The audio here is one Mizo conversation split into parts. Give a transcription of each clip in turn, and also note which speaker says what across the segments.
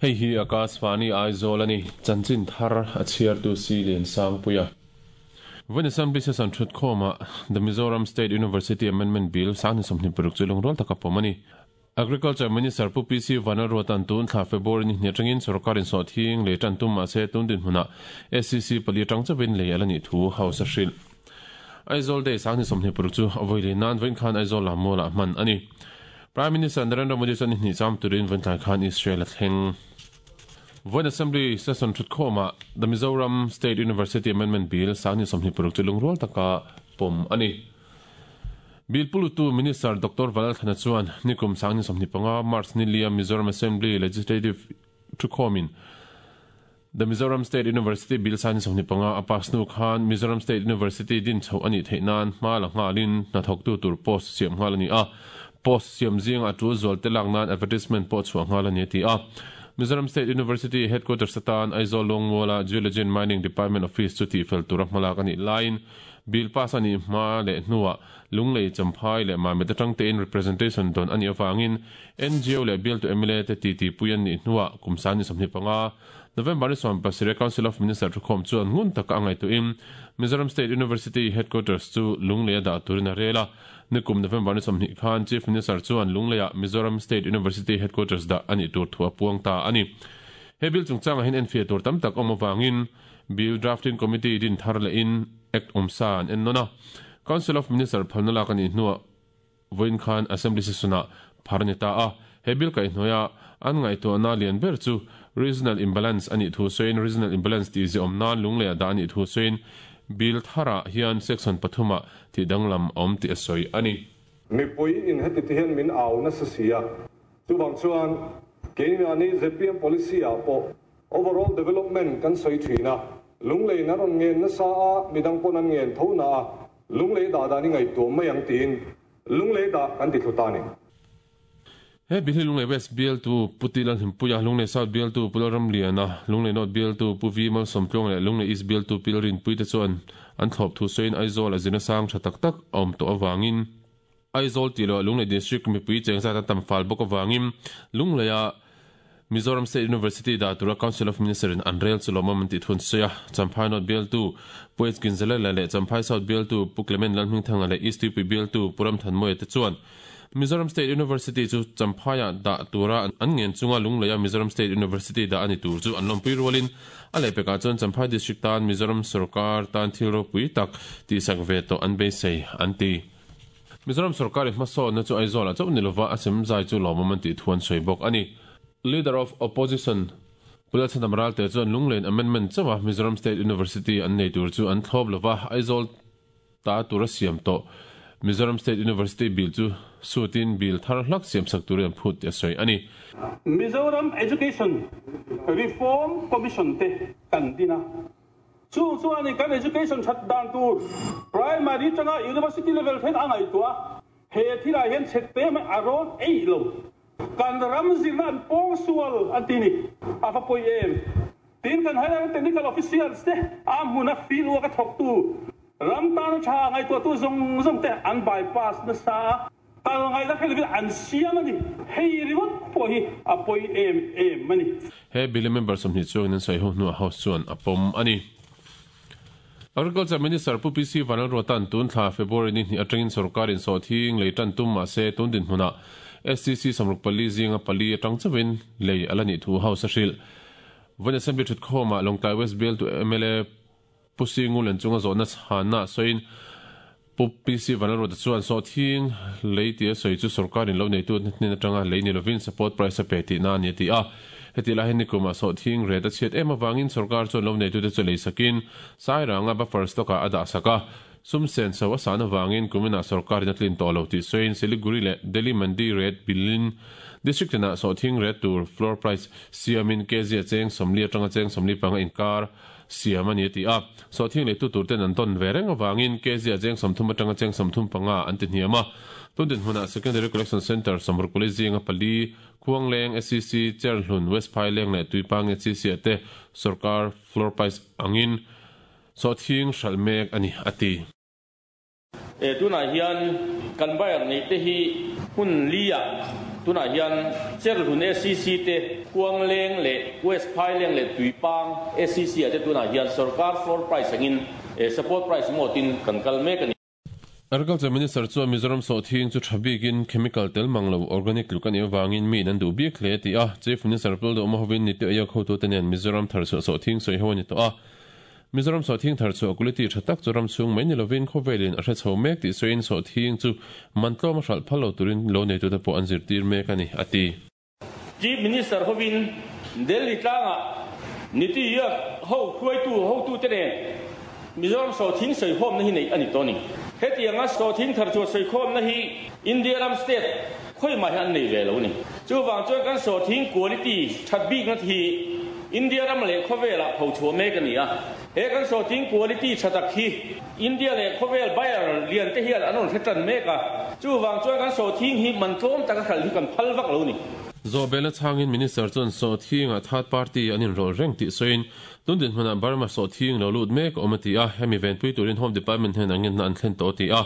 Speaker 1: Hei hi Akashvani Aizawl a ni, chanchin thar a chhiartu si Liansangpuia. Vawiin Assembly Session thutkhawmah The Mizoram State University Amendment Bill 2026 chu lungrual taka pawm a ni. Agriculture Minister Pu PC Vanlalruata'n tun thla February ni hnih atangin sorkarin sawhthing lei tan tum mahse tun dinhmunah SCC pali atang chauhin lei a la nih thu House a hrilh. Aizawl Day 2026 chu a vawi lei nan vawiin khan Aizawl Lammualah hman a ni. Prime Minister Narendra Modi chuan ni hnih cham turin vawiin tlai khan Israel a thleng. Vawiin Assembly Session thutkhawmah The Mizoram State University Amendment Bill 2026 chu lungrual taka pawm a ni. Bill pulutu Minister Doctor Valalthana chuan nikum 2025 March ni lia Mizoram Assembly Legislative thukhawmin The Mizoram State University Bill 2025 a pass hnu khan Mizoram State University din chhoh a nih theih nan hma la nghalin hnathawktu tur post siam nghal a ni a, post siam zinga a tul zual te lak nan advertisement pawh chhuah nghal a ni a ti a. Mizoram State University Headquarters atan Aizawl Lungmuala Geology and Mining Department Office chu tihfel tura hmalak a nih laiin Bill pass a nih hma leh hnuah Lunglei, Champhai leh Mamit atang tein representation dawn a nih avangin ngo leh bialtu mla te titi pui an nih hnuah kum 25 November ni 17 Council of Minister thukhawm chuan ngun taka a ngaihtuahin Mizoram State University Headquarters chu Lungleia dah turin a rel a. Nikum November ni 20 khan Chief Minister chuan Lungleia Mizoram State University Headquarters dah a nih tur thu a puang ta a ni. He bill chungchangah hian enfiah tur tam tak awm avangin Bill Drafting Committee din thar lehin Act awmsa an en nawn a. Council of Minister phalna lak a nih hnuah vawiin khan Assembly Session-ah phar a ni ta a. He bill kaihhnuaia an ngaihtuahna lian ber chu Regional Imbalance a nih thu sawiin Regional Imbalance tih ziahawm nan lungleiah dah a nih thu sawiin Bill tharah hian Section pathumah tih danglam a awm tih a sawi a ni.
Speaker 2: Mipui in heti ti hian min au nasa si a, chuvang chuan keimahni zpm policy ah pawh Overall development kan sawi thin a, Lungleiin a rawn ngen nasa a, midang pawn an ngen tho na a, Lunglei dah dan i ngaihtuah mai ang tiin Lunglei dah kan ti thlu ta a ni.
Speaker 1: He Bilhi Lunglei West bialtu Pu Ti Lalhimpuia, Lunglei South bialtu Pu Lalramliana, Lunglei North bialtu Pu Vi Malsawmtluanga leh Lunglei East bialtu Pi Lalrinpuii te chuan an thlawp thu sawiin Aizawl a zirna sang tha tak tak a awm tawh avangin Aizawl tih loh Lunglei District mipui cheng zat an tam fal bawk avangin Lungleia Mizoram State University dah tura Council of Minister in an rel chu lawmawm an tih thu an sawi a. Champhai North bialtu Pu H Ginzalela leh Champhai South bialtu Pu Clement Lalhmingthanga leh East Tuipui bialtu Pu Ramthanmawia te chuan Mizoram State University chu Champhaiah dah tura an ngen chunga Lungleia Mizoram State University dah a ni tur chu an lawmpui rualin a lehpekah chuan Champhai District tan Mizoram sorkar tan thil ropui tak tihsak ve tawh an beisei an ti. Mizoram sorkarin hmasawnna chu Aizawlah chauh ni lova a sem zai chu lawmawm an tih thu an sawi bawk a ni. Leader of Opposition Pu Lalchhandam Ralte chuan Lunglen Amendment chauha Mizoram State University an nei tur chu an thlawp lova, Aizawl ta tura siam tawh Mizoram State University bill chu sutin bill thar hlak siamsak turin an phut tih a sawi a ni.
Speaker 3: Mizoram Education Reform Commission te kan din a. Chung chuanin kan education that dan tur primary tanga university level thleng a ngaihtuah a, he thilah hian chhet te mai a rawn eih lo. Kan ram zirna an pawng sual an ti ni, a va pawi em? Tin, kan higher technical officials te a hmuna field work a thawktu ram tana tha ngaihtuahtu zawng zawng te an bypass nasa a. Kal ngaihna hre lovin an siam a ni. Hei ringawt pawh hi a pawi em em a ni.
Speaker 1: He bill-a member 20 chuangin an sawi ho hnuah House chuan a pawm a ni. Agriculture Minister Pu PC Vanlalruata'n tun thla February ni hnih atangin sorkarin sawhthing lei tan tum mahse tun dinhmunah SCC 64 zinga pali atang chauhin lei a la nih thu House a hrilh. Vawiin Assembly thutkhawmah Lawngtlai West Bialtu mla Pu Singulen chunga zawhna chhanna sawiin Pu PC Vanlalruata chuan sawhthing lei tia sawi chu sorkarin lo neitu hnen atanga lei ni lovin support price a pe tihna a ni a ti a. Heti lai hian nikumah sawhthing ret a chhiat em avangin sorkar chuan lo neitute chu lei sakin Sairanga buffer stock ah a dah sak a. Sum sen so a san avangin kuminah sorkarin a tlin tawh lo tih sawiin Siliguri leh Delhi Mandi ret bilin district tinah sawhthing ret tur floor price siamin kg a cheng 40 atanga cheng 45 inkar siam a ni a ti a. Sawhthing leitu tur ten an tawn ve reng avangin Kezia cheng 30 atanga cheng 35 an ti hniam a. Tun dinhmunah Secondary Collection Centre 64 zinga pali, Khuangleng, SCC, Cherhlun, West Phaileng leh Tuipang SCC ah te sorkar floor price angin sawhthing hralh mek a ni a ti.
Speaker 4: Tunah hian kan buyer neih te hi hmun li ah Tunah hian Cherhlun SCC te, Khuangleng leh West Phaileng leh Tuipang SCC ah te tunah hian sorkar floor price angin support price mode in kan kal mek a ni.
Speaker 1: Agriculture Minister chuan Mizoram sawhthing chu tha bikin chemical tel mang lo organic tluk a nih avangin miin an duh bik hle a ti a. Chief Minister Pul Duhma hovin Niti Aayog hotute nen Mizoram tharchhuah sawhthing sawi ho a ni tawh a. Mizoram sawhthing tharchhuah quality tha tak chu ram chhung mai ni lovin khawvelin a hre chho mek tih sawiin sawhthing chu man tlawm a hralh phal lo turin lo neitute pawh an zirtir mek a ni, a ti.
Speaker 4: Chief Minister hovin Delhi tlangah Niti Aayog ho hruaitu hotute nen Mizoram sawhthing sawikhawmna hi neih a ni tawh a ni. Hetianga sawhthing tharchhuah sawikhawmna hi India ram state khawimah hian an nei ve lo a ni. Chuvang chuan kan sawhthing quality that bikna hi India ram leh khawvelah phochhuah mek a ni a. He kan sawhthing quality tha tak hi India leh khawvel buyer lian te hian an rawn hre tan mek a, chuvang chuan kan sawhthing hi man tlawm taka hralh hi kan phal vak lo ni.
Speaker 1: Zawhbelna chhangin Minister chuan sawhthingah third party an inrawlh reng tih sawiin, tun dinhmunah Burma sawhthing lo lut mek a awm a ti a, hemi venpui turin Home Department hnenah ngenna an thlen tawh a ti a.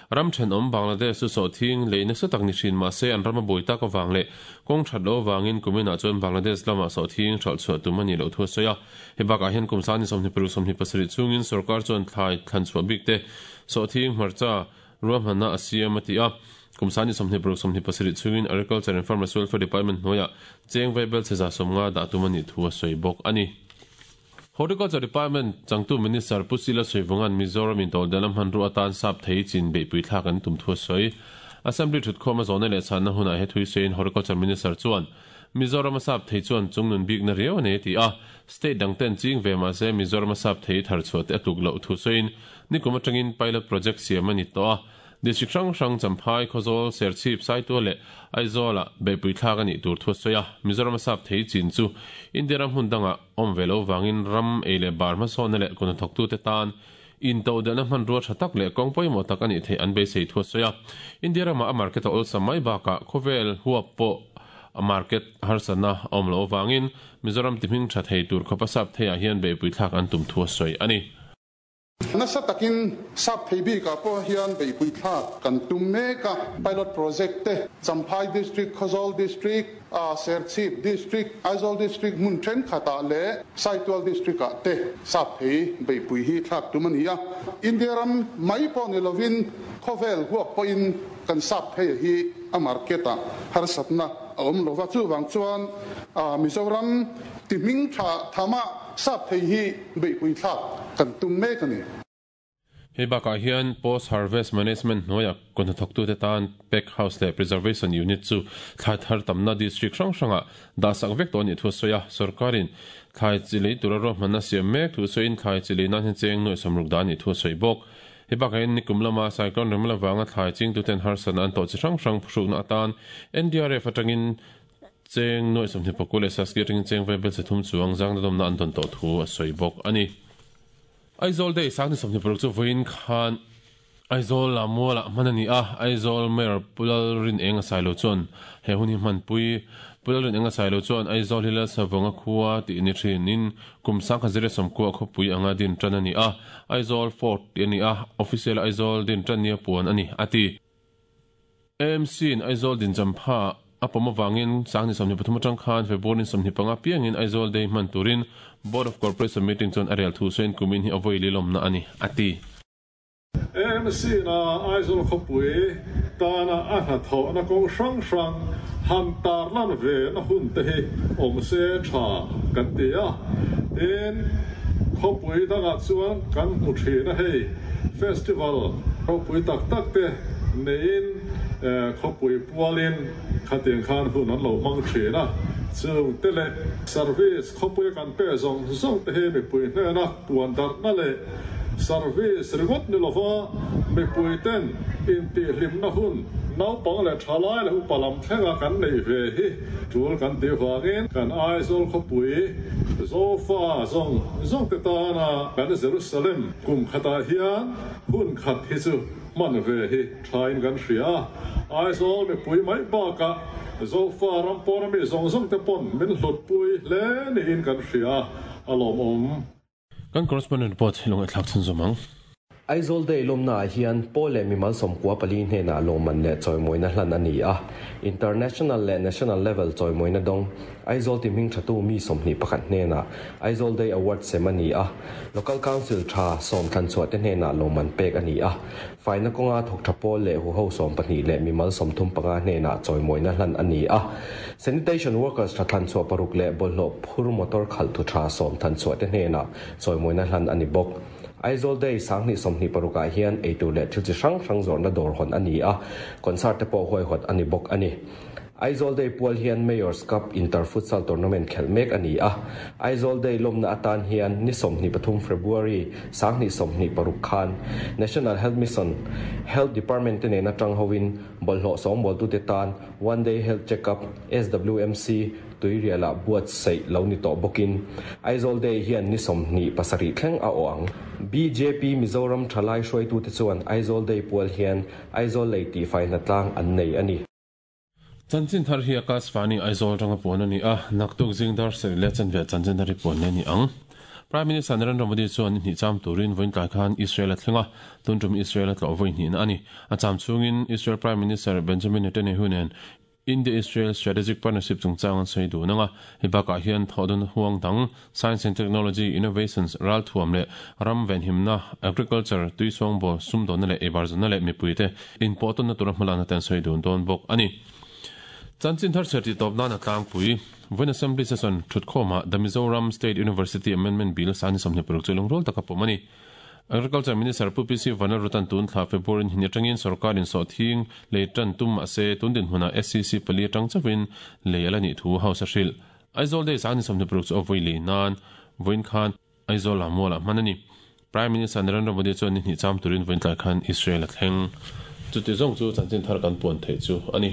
Speaker 1: Ram thenawm Bangladesh chu sawhthing lei nasa tak ni thin mahse an ram a buai tak avang leh kawng that loh avangin kuminah chuan Bangladesh lamah sawhthing hralh chhuah tum a nih loh thu a sawi a. Hei bakah hian kum sani 26 27 chhungin sorkar chuan thlai thlan chhuah bik te sawhthing hmarcha ruahmanna a siam a ti a. Kum sani 26 27 chhungin Agriculture and Farmers Welfare Department hnuaiah cheng vaibel chhe 150 dah tum a nih thu a sawi bawk a ni. Horticulture Department changtu Minister Pu Sila Suivunga'n Mizoram intodelh a hmanrua atan sap thei chin beihpui thlak an tum thu a sawi. Assembly thutkhawm a zawhna leh chhanna hunah he thui sawiin Horticulture Minister chuan Mizoram a sap thei chuan chungnun bikna riau a nei a ti a, state dang ten ching ve mahse Mizoram a sap thei thar chhuah te a tluk loh thu sawiin nikum atangin pilot project siam a ni tawh a, district hrang hrang Champhai, Khawzawl, Serchhip, Saitual leh Aizawl-ah beihpui thlak a nih tur thu a sawi a, Mizoram a sap thei chin chu India ram hmun dangah awm ve lo vangin ram ei leh bar hmasawnna leh kawhnathawktute tan Intodelhna hmanrua tha tak leh kawng pawimawh tak a nih theih an beisei thu a sawi a. India ramah a market a awlsam mai bakah khawvel huap pawh a market harsatna a awm loh avangin Mizoram tihming tha thei tur khawpa sap theiah hian beihpui thlak an tum thu a sawi a ni.
Speaker 2: Nasa takin sap thei bikah pawh hian beihpui thlak kan tum mek a, pilot project te Champhai District, Khawzawl District, a Serchhip District, Aizawl District hmun thenkhatah leh Saitual District-ah te sap thei beihpui hi thlak tum a ni a. India ram mai pawh ni lovin khawvel huap pawhin kan sap thei hi a market-ah harsatna a awm lova, chuvang chuan Mizoram ti hming tha thamah sap thei hi beihpui thlak kan tum mek a ni.
Speaker 1: Hei bakah hian Post Harvest Management hnuaia kawhnathawktute tan Pack House leh Preservation Unit chu thlai thar tamna district hrang hrangah dahsak vek tawh a nih thu a sawi a. Sorkarin thlai chi lei tura ruahmanna siam mek thu sawiin thlai chi lei nan hian cheng nuaih sawmruk dah a nih thu a sawi bawk. Hei bakah hian nikum lama cyclone remla vanga thlai chingtuten harsatna an tawh chi hrang hrang phuhrukna atan NDRF atangin cheng nuaih 24 leh Saski atangin cheng vaibel chhe thum chuang zangna dawmna an dawn tawh thu a sawi bawk a ni. Aizawl Day 2026 chu vawiin khan Aizawl ah mualah hman a ni a, Aizawl Mayor Pu Lalrinenga Sailo chuan he hun hi hmanpui. Pu Lalrinenga Sailo chuan Aizawl hi Lalsavunga khua tih ni thinin kum 1990 khawpui anga din tan a ni a, Aizawl Fort tih a ni a, official Aizawl din tan nia puan a ni, a ti. AMC in Aizawl dinchampha a pawm avangin 2023 atang khan February 25 piangin Aizawl Day hman turin Board of Corporation meeting chuan a rel thu sawiin kumin hi a vawi lilawmna a ni, a ti.
Speaker 2: AMC in a Aizawl khawpui tana a hnathawhna kawng hrang hrang han tarlan ve na hun te hi awm se tha kan ti a. Tin, khawpui dangah chuan kan hmu thin a hei festival ropui tak tak te neiin khawpui pualin khatiang khan hun an lo hmang thin a, chung te leh service khawpuia kan pe zawng zawng te hi mipui hnena puan darhna leh service ringawt ni lova mipui ten intihhlimna hun naupang leh thalai leh upa lam thlenga kan neih ve hi tul kan tih vangin kan Aizawl khawpui Zofa zawng zawng te tana kan Jerusalem kum khatah hian hun khat hi chu hman ve hi thain kan hria a, Aizawl mipui mai bakah Zofa ram pawna mi zawng zawng te pawn min hlutpui hle niin kan hria a, a lawmawm.
Speaker 1: Kan correspondent report hi lawng e thlak chhunzawm ang.
Speaker 5: Aizawl Day lawmnaah hian pawl leh mimal 94 hnenah lawmman leh chawimawina hlan a ni a. International leh National level chawimawina dawng Aizawl ti hming thatu mi 21 hnenah Aizawl Day Award sem a ni a. Local Council tha 10 thlanchhuah te hnenah lawmman pek a ni a. Faina kawnga thawk tha pawl leh huho 12 leh mimal 35 hnenah chawimawina hlan a ni a. Sanitation workers tha thlanchhuah 6 leh bawlhhlawh phur motor khalh thu tha 10 thlanchhuah te hnenah chawimawina hlan a ni bawk. Aizawl Day 2026 ah hian eitur leh thil chi hrang hrang zawrhna dawr hawn a ni a, concert te pawh huaihawt a ni bawk a ni. Aizawl Day pual hian Mayor's Cup Inter Futsal Tournament khelh mek a ni a. Aizawl Day lawmna atan hian ni 23 February 2026 khan National Health Mission Health Department te nena tang hovin bawlhhlawh sawngbawltute tan One Day Health Check-up, SWMC, Tuirialah buatsaih lo ni tawh bawkin Aizawl Day hian ni 27 thleng a awh ang. Bjp Mizoram thalai hruaitute chuan Aizawl Day pual hian Aizawl lei tihfai hnatlang an nei a ni.
Speaker 1: Chanchin thar hi Akashvani Aizawl atanga puan a ni a, naktuk zing dar sarih leh chanve chanchin thar hi puan leh a ni ang. Prime Minister Narendra Modi chuan ni hnih cham turin vawiin tlai khan Israel a thleng a, tun tum Israel a tlawh vawi hnihna a ni. A cham chhungin Israel Prime Minister Benjamin Netanyahu nen India-Israel Strategic Partnership chungchang an sawi dun ang a, hei bakah hian thawhdun huang dang, Science and Technology, Innovations, ralthuam leh ram venhimna, Agriculture, tui sawngbawl, sumdawnna leh eibarzawnna leh mipuite inpawhtawnna tura hmalakna te an sawi dun dawn bawk a ni. Chanchin thar chhiar tih tawp nan a tlangpui. Vawiin Assembly Session thutkhawmah The Mizoram State University Amendment Bill 2026 chu lungrual taka pawm a ni. Agriculture Minister Pu PC Vanlalrutan tun thla February ni atangin sorkarin sawhthing lei tan tum mahse tun dinhmunah SCC pali atang chauhin lei a la nih thu House a hrilh. Aizawl Day 2026 chu a vawi lei nan vawiin khan Aizawl ah mualah hman a ni. Prime Minister Narendra Modi chuan ni hnih cham turin vawiin tlai khan Israel a thleng. Chuti zawng chu chanchin thar kan puan theih chu a ni.